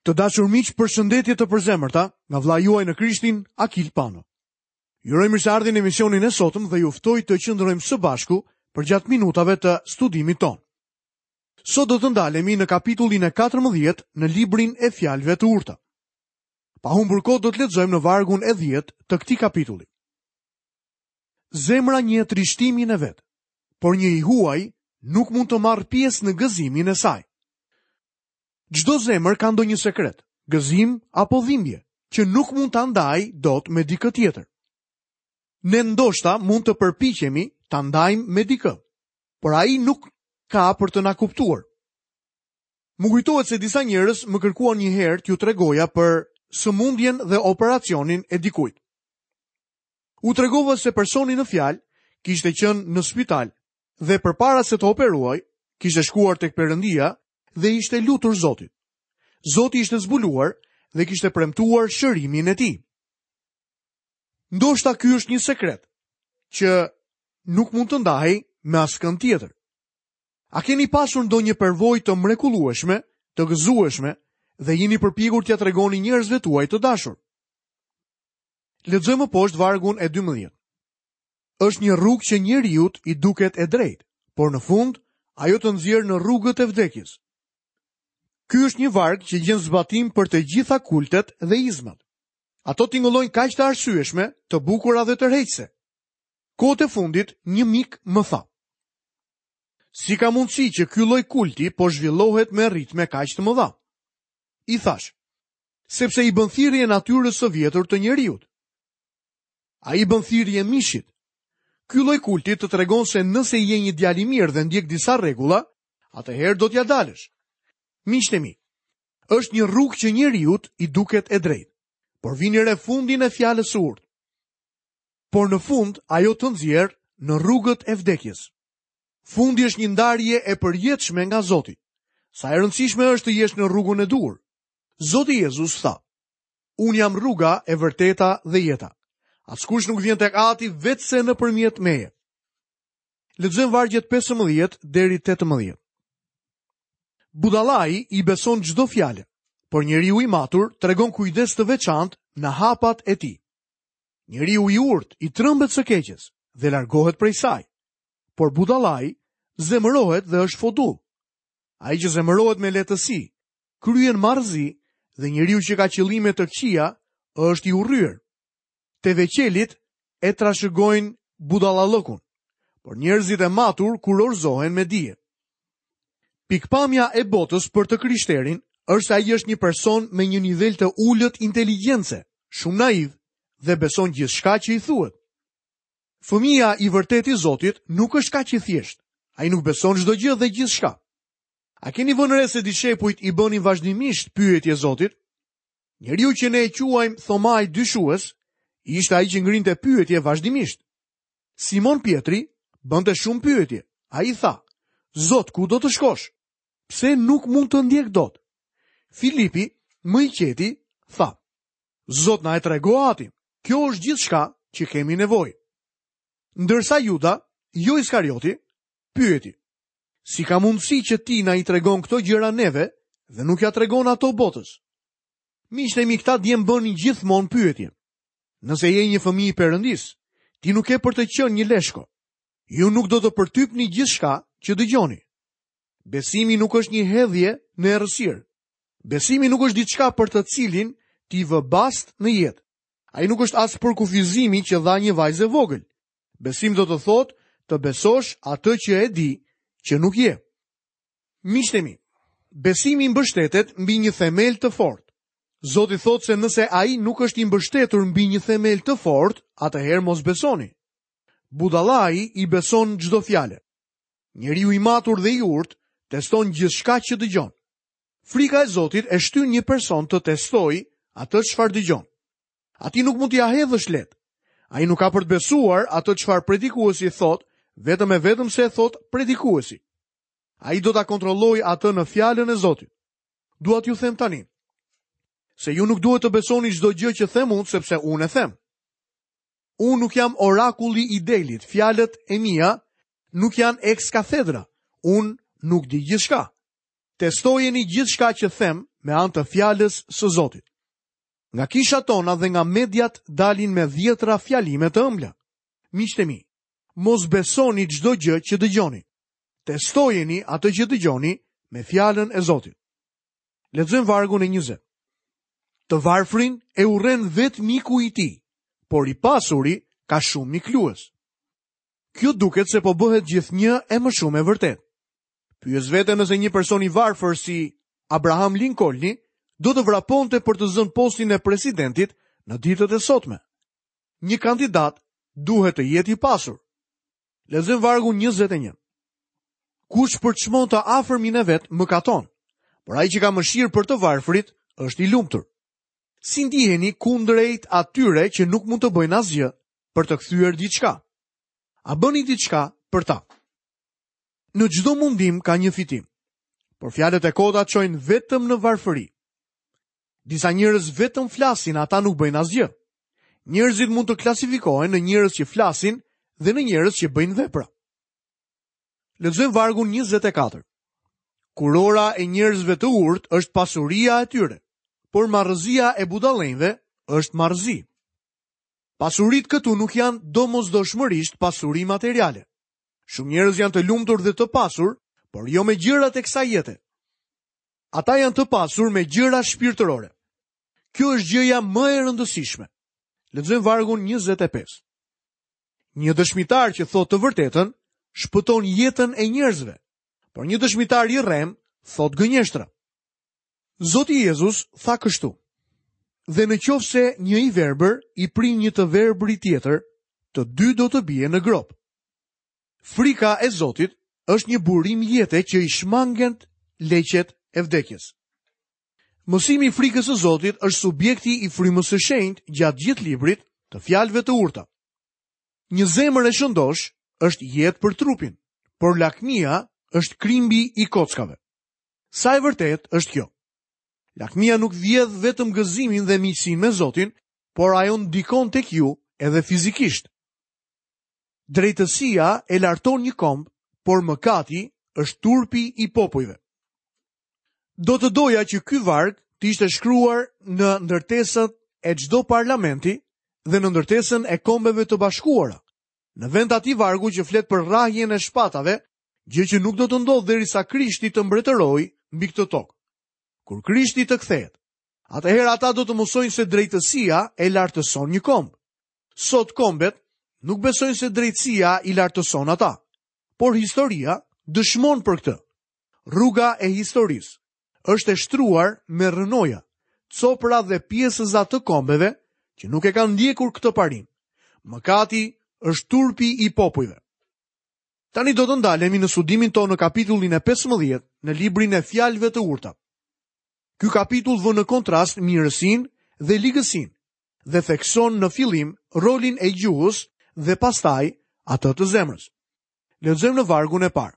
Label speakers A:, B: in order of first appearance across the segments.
A: Të dashur miq, përshëndetje të përzemërta nga vëllai juaj në Krishtin, Akil Pano. Ju uroj mirëseardhjen në emisionin e sotëm dhe ju ftoj të qëndrojmë së bashku përgjatë minutave të studimit tonë. Sot do të ndalemi në kapitullin e 14 në librin e fjalëve të urta. Pa humbur kohë do të lexojmë në vargun e 10 të këtij kapitulli. Zemra njeh trishtimin e vet, por një i huaj nuk mund të marrë pjesë në gëzimin e saj. Çdo zemër ka ndonjë sekret, gëzim apo dhimbje, që nuk mund ta ndajë dot me dikë tjetër. Ne ndoshta mund të përpiqemi ta ndajmë me dikë, por ai nuk ka për të na kuptuar. Më kujtohet se disa njerëz më kërkuan një herë t'ju tregoja për sëmundjen dhe operacionin e dikujt. U tregova se personi në fjalë kishte qenë në spital dhe përpara se të operohej, kishte shkuar tek Perëndia dhe i ishte lutur Zotit. Zoti ishte zbuluar dhe kishte premtuar shërimin e tij. Ndoshta ky është një sekret që nuk mund të ndahej me askënd tjetër. A keni pasur ndonjë përvojë të mrekullueshme, të gëzueshme dhe jeni përpjekur t'ia tregoni njerëzve tuaj të dashur? Lexojmë më poshtë vargun e 12. Është një rrugë që njeriut i duket e drejtë, por në fund ajo të nxjerr në rrugët e vdekjes. Ky është një varg që gjen zbatim për të gjitha kultet dhe izmat. Ato tingëllojnë kaq të arsyeshme, të bukura dhe tërheqëse. Kohët e fundit, një mik më tha: Si ka mundësi që ky lloj kulti po zhvillohet me ritme kaq të mëdha? I thashë, sepse i bën thirrje natyrës së vjetër të njeriut. Ai i bën thirrje mishit. Ky lloj kulti të tregon se nëse je një djalë i mirë dhe ndjek disa rregulla, atëherë do t'ia dalësh. Miqtë e mi, është një rrugë që njeriut i duket e drejtë, por vini re fundin e fjalës së urtë. Por në fund ajo të nxjerr në rrugët e vdekjes. Fundi është një ndarje e përjetshme nga Zoti. Sa e rëndësishme është të jesh në rrugën e duhur. Zoti Jezus tha: Unë jam rruga e vërteta dhe jeta. Askush nuk vjen tek Ati veçse nëpërmjet meje. Lexojmë vargjet 15 deri 18. Budallai i beson çdo fjale, por njeriu i matur tregon kujdes të veçantë në hapat e tij. Njeriu i urtë i trembet së keqes dhe largohet prej saj. Por budallai zemërohet dhe është fodull. Ai që zemërohet me lehtësi, kryen marrëzi dhe njeriu që ka qëllime të këqija është i urryer. Teveqelit e trashëgojnë budallallëkun, por njerëzit e matur kurorëzohen me dije. Pikëpamja e botës për të krishterin është se ai është një person me një nivel të ulët inteligjence, shumë naiv dhe beson gjithçka që i thuhet. Fëmija i vërtetë i Zotit nuk është kaq i thjeshtë. Ai nuk beson çdo gjë dhe gjithçka. A keni vënë re se dishepujt i bënin vazhdimisht pyetje Zotit? Njeriu që ne e quajmë Thomai dyshues, ishte ai që ngrinte pyetje vazhdimisht. Simon Pjetri bënte shumë pyetje. Ai tha: Zot, ku do të shkosh? Pse nuk mund të ndjek dot? Filipi, më i qeti, tha: Zot, na e trego Atin. Kjo është gjithçka që kemi nevojë. Ndërsa Juda, jo Iskarioti, pyeti: Si ka mundësi që ti na i tregon këto gjëra neve dhe nuk ia tregon ato botës? Miqtë e mi këta djem bënin gjithmonë pyetje. Nëse je një fëmijë i Perëndisë, ti nuk ke për të qenë një leshko. Ju nuk do të përtypni gjithçka që dëgjoni. Besimi nuk është një hedhje në errësirë. Besimi nuk është diçka për të cilin ti vë bast në jetë. Ai nuk është as përkufizimi që dha një vajzë e vogël. Besim do të thotë të besosh atë që e di që nuk je. Miqtë e mi, besimi mbështetet mbi një themel të fortë. Zoti thotë se nëse ai nuk është i mbështetur mbi një themel të fortë, atëherë mos besoni. Budallai i beson çdo fjale. Njeriu i matur dhe i urtë teston gjithçka që dëgjon. Frika e Zotit e shtyn një person të testojë atë çfarë dëgjon. Atij nuk mund t'ia hedhësh lehtë. Ai nuk ka për të besuar atë çfarë predikuesi thotë, vetëm e vetëm se e thotë predikuesi. Ai do ta kontrollojë atë në fjalën e Zotit. Dua t'ju them tani se ju nuk duhet të besoni çdo gjë që them unë sepse unë e them. Unë nuk jam orakulli i Delit, fjalët e mia nuk janë ex cathedra. Unë nuk di gjithçka. Testojeni gjithçka që them me anë të fjalës së Zotit. Nga kishat tona dhe nga mediat dalin me dhjetra fjalime të ëmbla. Miqtë e mi, mos besoni çdo gjë që dëgjoni. Testojeni atë që dëgjoni me fjalën e Zotit. Lexojmë vargun e 20. Të varfrin e urren vetë miku i tij, por i pasuri ka shumë miklues. Kjo duket se po bëhet gjithnjë e më shumë e vërtetë. Pyes veten nëse një person i varfër si Abraham Lincolni do të vraponte për të zënë postin e presidentit në ditët e sotme. Një kandidat duhet të jetë i pasur. Lexojmë vargun 21. Kush përçmon të afërmin e vet mëkaton, por ai që ka mëshirë për të varfrit është i lumtur. Si ndiheni kundrejt atyre që nuk mund të bëjnë asgjë për të kthyer diçka? A bëni diçka për ta? Në çdo mundim ka një fitim, por fjalët e kota çojnë vetëm në varfëri. Disa njerëz vetëm flasin, ata nuk bëjnë asgjë. Njerëzit mund të klasifikohen në njerëz që flasin dhe në njerëz që bëjnë vepra. Lexojmë vargun 24. Kurora e njerëzve të urtë është pasuria e tyre, por marrëzia e budallenjve është marrëzi. Pasuritë këtu nuk janë domosdoshmërisht pasuri materiale. Shumë njerëz janë të lumtur dhe të pasur, por jo me gjërat e kësaj jete. Ata janë të pasur me gjëra shpirtërore. Kjo është gjëja më e rëndësishme. Lexojmë vargun 25. Një dëshmitar që thotë të vërtetën, shpëton jetën e njerëzve, por një dëshmitar i rremë thotë gënjeshtra. Zoti Jezus tha kështu: Dhe në qoftë se një i verbër i prin një të verbri tjetër, të dy do të bien në gropë. Frika e Zotit është një burim jete që i shmangen leqet e vdekjes. Mësimi i frikës së Zotit është subjekti i frymës së shenjtë gjatë gjithë librit të fjalëve të urta. Një zemër e shëndoshë është jetë për trupin, por lakmia është krimbi i kockave. Sa e vërtetë është kjo? Lakmia nuk vjedh vetëm gëzimin dhe miqësinë me Zotin, por ajo ndikon tek ju edhe fizikisht. Drejtësia e larton një komb, por mëkati është turpi i popujve. Do të doja që ky varg të ishte shkruar në ndërtesën e çdo parlamenti dhe në ndërtesën e kombeve të bashkuara. Në vend të atij vargu që flet për rrahjen e shpatave, gjë që nuk do të ndodhë derisa Krishti të mbretërojë mbi këtë tokë. Kur Krishti të kthehet, atëherë ata do të mësojnë se drejtësia e lartëson një komb. Sot kombet nuk besojnë se drejtësia i lartëson ata, por historia dëshmon për këtë. Rruga e historisë është e shtruar me rrënoja, copra dhe pjesëza të kombeve që nuk e kanë ndjekur këtë parim. Mëkati është turpi i popujve. Tani do të ndalemi në studimin tonë në kapitullin e 15 në librin e fjalëve të urta. Ky kapitull vë në kontrast mirësinë dhe ligësinë dhe thekson në fillim rolin e gjuhës dhe pastaj atë të zemrës. Lexojmë në vargun e parë.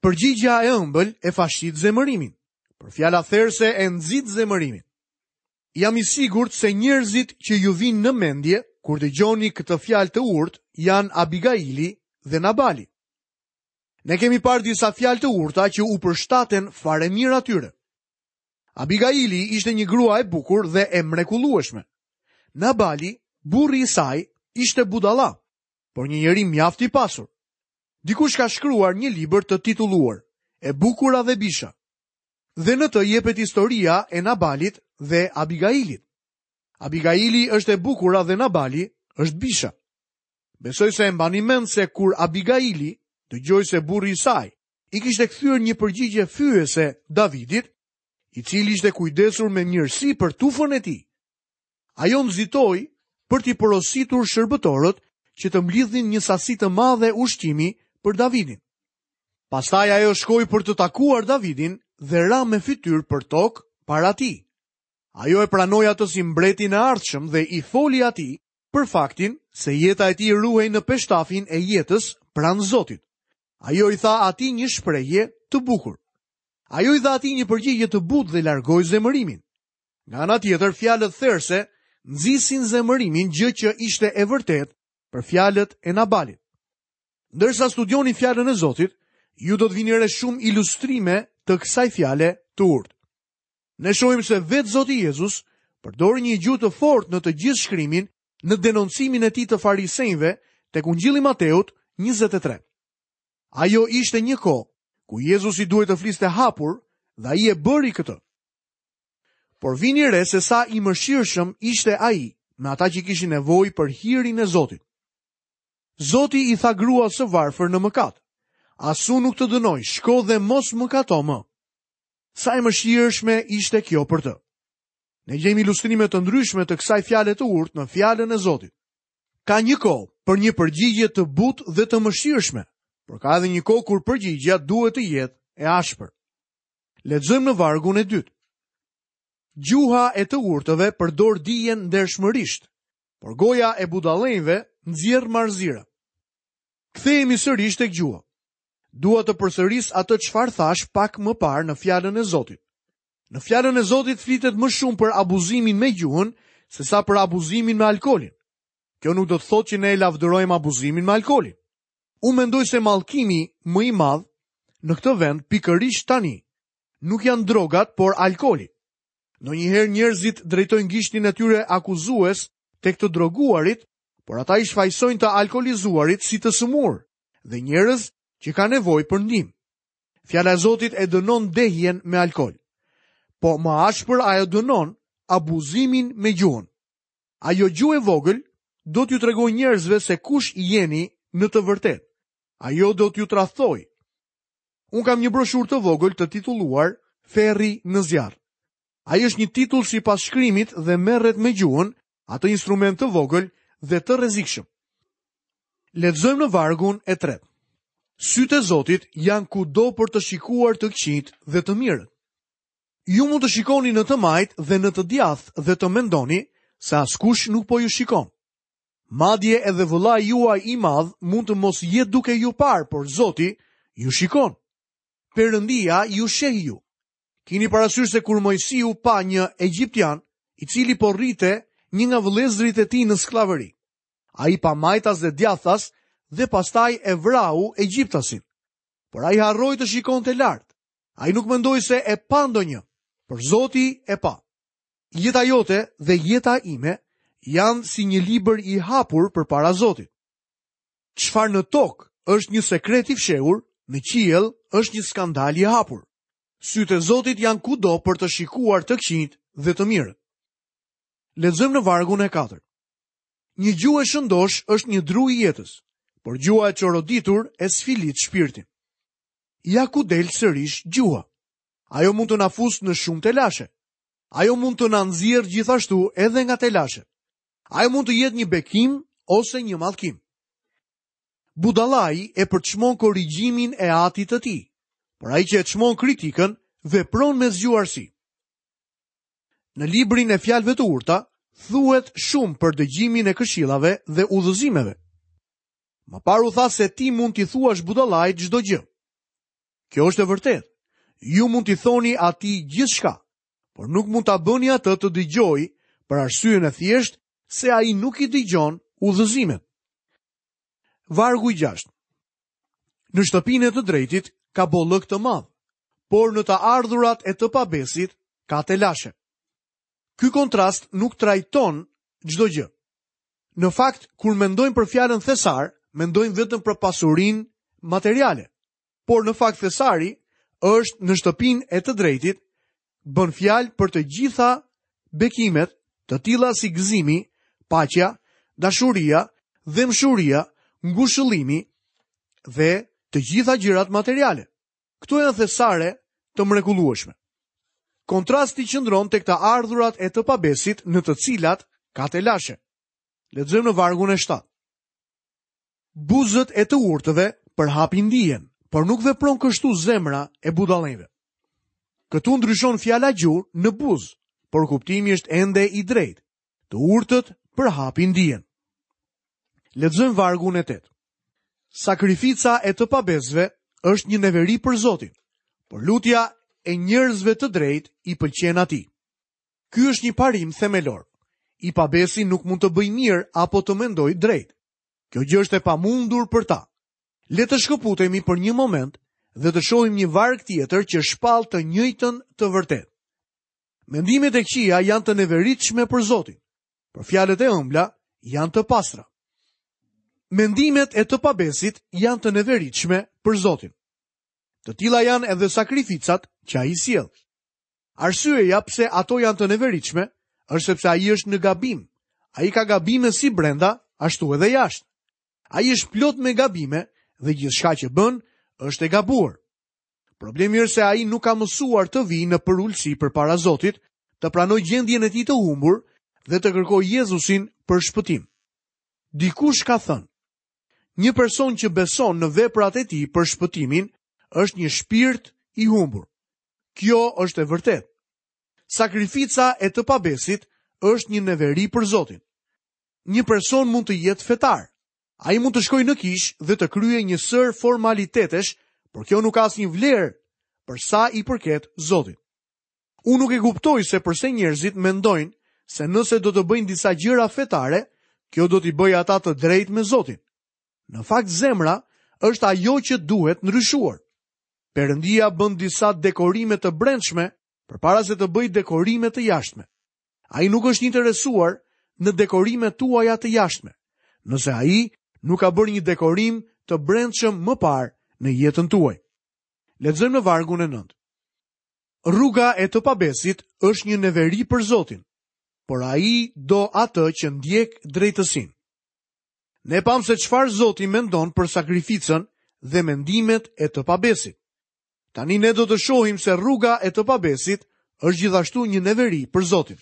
A: Përgjigja e ëmbël e fashit zemërimin, por fjala therëse e nxit zemërimin. Jam i sigurt se njerëzit që ju vijnë në mendje kur dëgjoni këtë fjalë të urtë janë Abigaili dhe Nabali. Ne kemi parë disa fjalë të urta që u përshtaten fare mirë atyre. Abigaili ishte një grua e bukur dhe e mrekullueshme. Nabali, burri i saj, ishte budalla, por një njeri mjaft i pasur. Dikush ka shkruar një libër të titulluar E bukura dhe bisha. Dhe në të jepet historia e Nabalit dhe Abigailit. Abigaili është e bukura dhe Nabali është bisha. Besoj se e mbani mend se kur Abigaili dëgjoi se burri i saj i kishte kthyer një përgjigje fyese Davidit, i cili ishte kujdesur me mirësi për tufën e tij. Ajo nxitoi për t'i porositur shërbëtorët që të mblidhnin një sasi të madhe ushqimi për Davidin. Pastaj ajo shkoi për të takuar Davidin dhe ra me fytyrë për tokë para tij. Ajo e pranoi atë si mbretin e ardhshëm dhe i foli atij për faktin se jeta e tij ruhej në peshtafin e jetës pranë Zotit. Ajo i tha atij një shprehje të bukur. Ajo i dha atij një përgjigje të butë dhe largoi zemërimin. Nga ana tjetër, fjalët therëse nxisin zemërimin, gjë që ishte e vërtetë për fjalët e Nabalit. Ndërsa studioni fjalën e Zotit, ju do të vini re shumë ilustrime të kësaj fjale të urtë. Ne shohim se vetë Zoti Jezus përdori një gjuhë të fortë në të gjithë shkrimin në denoncimin e tij të farisenjve tek Ungjilli i Mateut 23. Ajo ishte një kohë ku Jezusi duhej të fliste hapur dhe ai e bëri këtë. Por vini re se sa i mëshirshëm ishte ai me ata që kishin nevojë për hirin e Zotit. Zoti i tha gruas së varfër në mëkat, as unë nuk të dënoj, shko dhe mos mëkato më. Sa e mëshirshme ishte kjo për të. Ne gjejmë ilustrime të ndryshme të kësaj fjale të urtë në fjalën e Zotit. Ka një kohë për një përgjigje të butë dhe të mëshirshme, por ka edhe një kohë kur përgjigja duhet të jetë e ashpër. Lexojmë në vargun e dytë. Gjuha e të urtëve përdor dijen ndershmërisht, por goja e budallenjve nxjerr marrëzira. Kthehemi sërish tek gjuha. Dua të përsëris atë çfarë thashë pak më parë në fjalën e Zotit. Në fjalën e Zotit flitet më shumë për abuzimin me gjuhën sesa për abuzimin me alkoolin. Kjo nuk do të thotë që ne e lavdërojmë abuzimin me alkoolin. Unë mendoj se mallkimi më i madh në këtë vend pikërisht tani nuk janë drogat, por alkooli. Ndonjëherë njerëzit drejtojnë gishtin e tyre akuzues tek të droguarit, por ata i shfajësojnë të alkoolizuarit si të sëmurë dhe njerëz që kanë nevojë për ndihmë. Fjala e Zotit e dënon dehjen me alkool. Po më ashpër ajo dënon abuzimin me gjuhën. Ajo gjuhë e vogël do t'ju tregojë njerëzve se kush jeni në të vërtetë. Ajo do t'ju tradhtojë. Unë kam një broshurë të vogël të titulluar Ferri në zjarr. Ai është një titull sipas shkrimit dhe merret me gjuhën, atë instrument të vogël dhe të rrezikshëm. Lexojmë në vargun e tretë. Sytë e Zotit janë kudo për të shikuar të këqijtë dhe të mirët. Ju mund të shikoni në të majtë dhe në të djathtë dhe të mendoni se askush nuk po ju shikon. Madje edhe vëllai juaj i madh mund të mos jetë duke ju parë, por Zoti ju shikon. Perëndia ju sheh ju. Kini parasysh se kur Moisiu pa një egjiptian, i cili po rrihte një nga vëllezërit e tij në skllavëri. Ai pa majtas dhe djathtas dhe pastaj e vrau egjiptasin. Por ai harroi të shikonte lart. Ai nuk mendoi se e pa ndonjë, por Zoti e pa. Jeta jote dhe jeta ime janë si një libër i hapur përpara Zotit. Çfarë në tokë është një sekret i fshehur, në qiell është një skandal i hapur. Sytë e Zotit janë kudo për të shikuar të këqijtë dhe të mirët. Lexojmë në vargun e katërt. Një gjuhë e shëndoshë është një dru i jetës, por gjuha e çoroditur e sfilit shpirtin. Ja ku del sërish gjuha. Ajo mund të na fusë në shumë telashe. Ajo mund të na nxjerrë gjithashtu edhe nga telashet. Ajo mund të jetë një bekim ose një mallkim. Budallai e përçmon korrigjimin e atit të tij, por ai që e çmon kritikën vepron me zgjuarsi. Në librin e fjalëve të urta thuhet shumë për dëgjimin e këshillave dhe udhëzimeve. Më parë u tha se ti mund t'i thuash budallait çdo gjë. Kjo është e vërtetë. Ju mund t'i thoni atij gjithçka, por nuk mund ta bëni atë të dëgjojë për arsyen e thjeshtë se ai nuk i dëgjon udhëzimet. Vargu i 6. Në shtëpinë e të drejtit ka bollëk të madh, por në të ardhurat e të pabesit ka telashe. Ky kontrast nuk trajton çdo gjë. Në fakt, kur mendojmë për fjalën thesar, mendojmë vetëm për pasurinë materiale. Por në fakt thesari është në shtëpinë e të drejtit, bën fjalë për të gjitha bekimet, të tilla si gëzimi, paqja, dashuria, dhembshuria, ngushëllimi dhe të gjitha gjërat materiale. Këto janë thesare të mrekullueshme. Kontrasti qëndron tek të ardhurat e të pabesit në të cilat ka telashe. Lexojmë në vargun e 7. Buzët e të urtëve përhapin dijen, por nuk vepron kështu zemra e budallenjve. Këtu ndryshon fjala gjuhë në buzë, por kuptimi është ende i drejtë. Të urtët përhapin dijen. Lexojmë vargun e 8. Sakrifica e të pabesëve është një neveri për Zotin, por lutja e njerëzve të drejtë i pëlqen atij. Ky është një parim themelor. I pabesi nuk mund të bëjë mirë apo të mendojë drejt. Kjo gjë është e pamundur për ta. Le të shkëputemi për një moment dhe të shohim një varg tjetër që shpall të njëjtën të vërtetë. Mendimet e këqija janë të neveritshme për Zotin, por fjalët e ëmbla janë të pastra. Mendimet e të pabesit janë të neveritshme për Zotin. Të tilla janë edhe sakrificat që ai sjell. Arsyeja pse ato janë të neveritshme është sepse ai është në gabim. Ai ka gabime si brenda, ashtu edhe jashtë. Ai është plot me gabime dhe gjithçka që bën është e gabuar. Problemi është se ai nuk ka mësuar të vijë në përulësi përpara Zotit, të pranojë gjendjen e tij të humbur dhe të kërkojë Jezusin për shpëtim. Dikush ka thënë, një person që beson në veprat e tij për shpëtimin është një shpirt i humbur. Kjo është e vërtetë. Sakrifica e të pabesit është një neveri për Zotin. Një person mund të jetë fetar. Ai mund të shkojë në kishë dhe të kryejë një sërë formalitetesh, por kjo nuk ka asnjë vlerë për sa i përket Zotit. Unë nuk e kuptoj se përse njerëzit mendojnë se nëse do të bëjnë disa gjëra fetare, kjo do t'i bëjë ata të drejtë me Zotin. Në fakt zemra është ajo që duhet ndryshuar. Perëndia bën disa dekorime të brendshme përpara se të bëjë dekorime të jashtme. Ai nuk është interesuar në dekorimet tuaja të jashtme, nëse ai nuk ka bërë një dekorim të brendshëm më parë në jetën tuaj. Lexojmë në vargun e 9. Rruga e të pabesit është një neveri për Zotin, por ai do atë që ndjek drejtësinë. Ne pamë se çfarë Zoti mendon për sakrificën dhe mendimet e të pabesit. Tani ne do të shohim se rruga e të pabesit është gjithashtu një neveri për Zotin.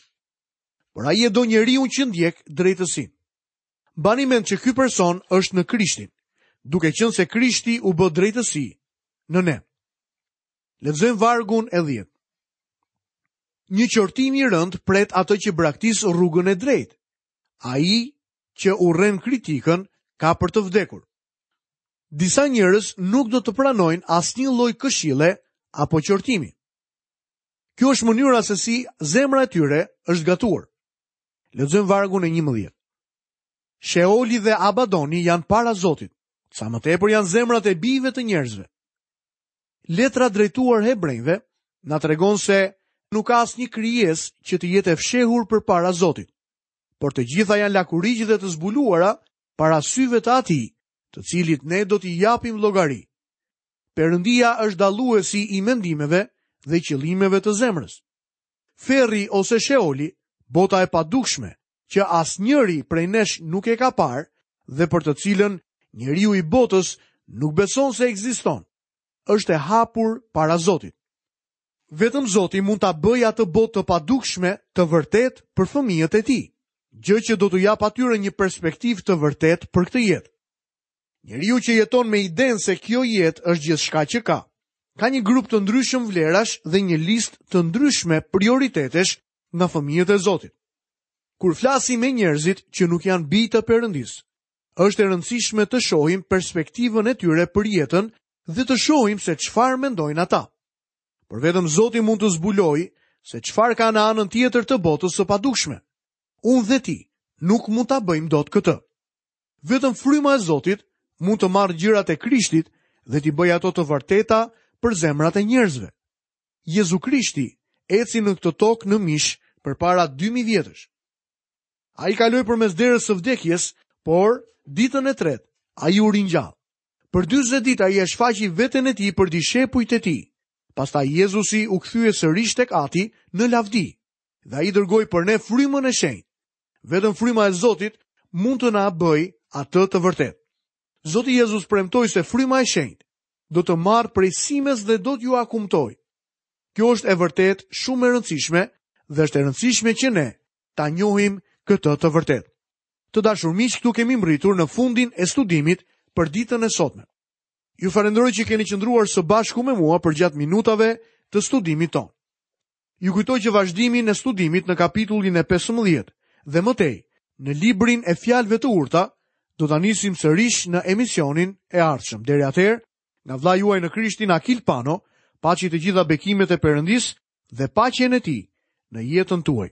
A: Por ai e do njeriun që ndjek drejtësinë. Mbani mend që ky person është në Krishtin, duke qenë se Krishti u bë drejtësi në ne. Lexojmë vargun e 10. Një qortim i rëndë pret atë që braktis rrugën e drejtë. Ai që urren kritikën ka për të vdekur. Disa njerëz nuk do të pranojnë asnjë lloj këshille apo qortimi. Kjo është mënyra se si zemra e tyre është gatuar. Lexojmë vargun e 11. Sheoli dhe Abadoni janë para Zotit. Sa më tepër janë zemrat e bijve të njerëzve. Letra drejtuar hebrenjve na tregon se nuk ka asnjë krijesë që të jetë e fshehur përpara Zotit. Por të gjitha janë lakuriq dhe të zbuluara para syve të atij, të cilit ne do t'i japim llogari. Perëndia është dalluesi i mendimeve dhe qëllimeve të zemrës. Ferri ose Sheoli, bota e padukshme, që asnjëri prej nesh nuk e ka parë dhe për të cilën njeriu i botës nuk beson se ekziston, është e hapur para Zotit. Vetëm Zoti mund ta bëjë atë botë të padukshme të vërtetë për fëmijët e tij, gjë që do t'u japë atyre një perspektivë të vërtetë për këtë jetë. Njeriu që jeton me idenë se kjo jetë është gjithçka që ka, ka një grup të ndryshëm vlerash dhe një listë të ndryshme prioritetesh nga fëmijët e Zotit. Kur flasim me njerëzit që nuk janë bij të Perëndisë, është e rëndësishme të shohim perspektivën e tyre për jetën dhe të shohim se çfarë mendojnë ata. Por vetëm Zoti mund të zbulojë se çfarë ka në anën tjetër të botës së padukshme. Unë dhe ti nuk mund ta bëjmë dot këtë. Vetëm fryma e Zotit mund të marrë gjërat e Krishtit dhe t'i bëjë ato të vërteta për zemrat e njerëzve. Jezu Krishti eci në këtë tokë në mish përpara 2000 vjetësh. Ai kaloi përmes derës së vdekjes, por ditën e tretë ai u ringjall. Për 40 ditë ai e shfaqi veten e tij për dishepujt e tij. Pastaj Jezusi u kthye sërish tek Ati në lavdi dhe ai dërgoi për ne frymën e shenjtë. Vetëm fryma e Zotit mund të na bëjë atë të vërtetë. Zoti Jezus premtoi se fryma e shenjtë do të marrë prej simes dhe do t'jua kumtojë. Kjo është e vërtetë shumë e rëndësishme dhe është e rëndësishme që ne ta njohim këtë të vërtetë. Të dashur miq, këtu kemi mbërritur në fundin e studimit për ditën e sotme. Ju falënderoj që keni qëndruar së bashku me mua përgjatë minutave të studimit tonë. Ju kujtoj që vazhdimin e studimit në kapitullin e 15 dhe më tej, në librin e fjalëve të urta, do ta nisim sërish në emisionin e ardhshëm. Deri atëherë, nga vëllai juaj në Krishtin Akil Pano, paçi të gjitha bekimet e Perëndisë dhe paqen e tij në jetën tuaj.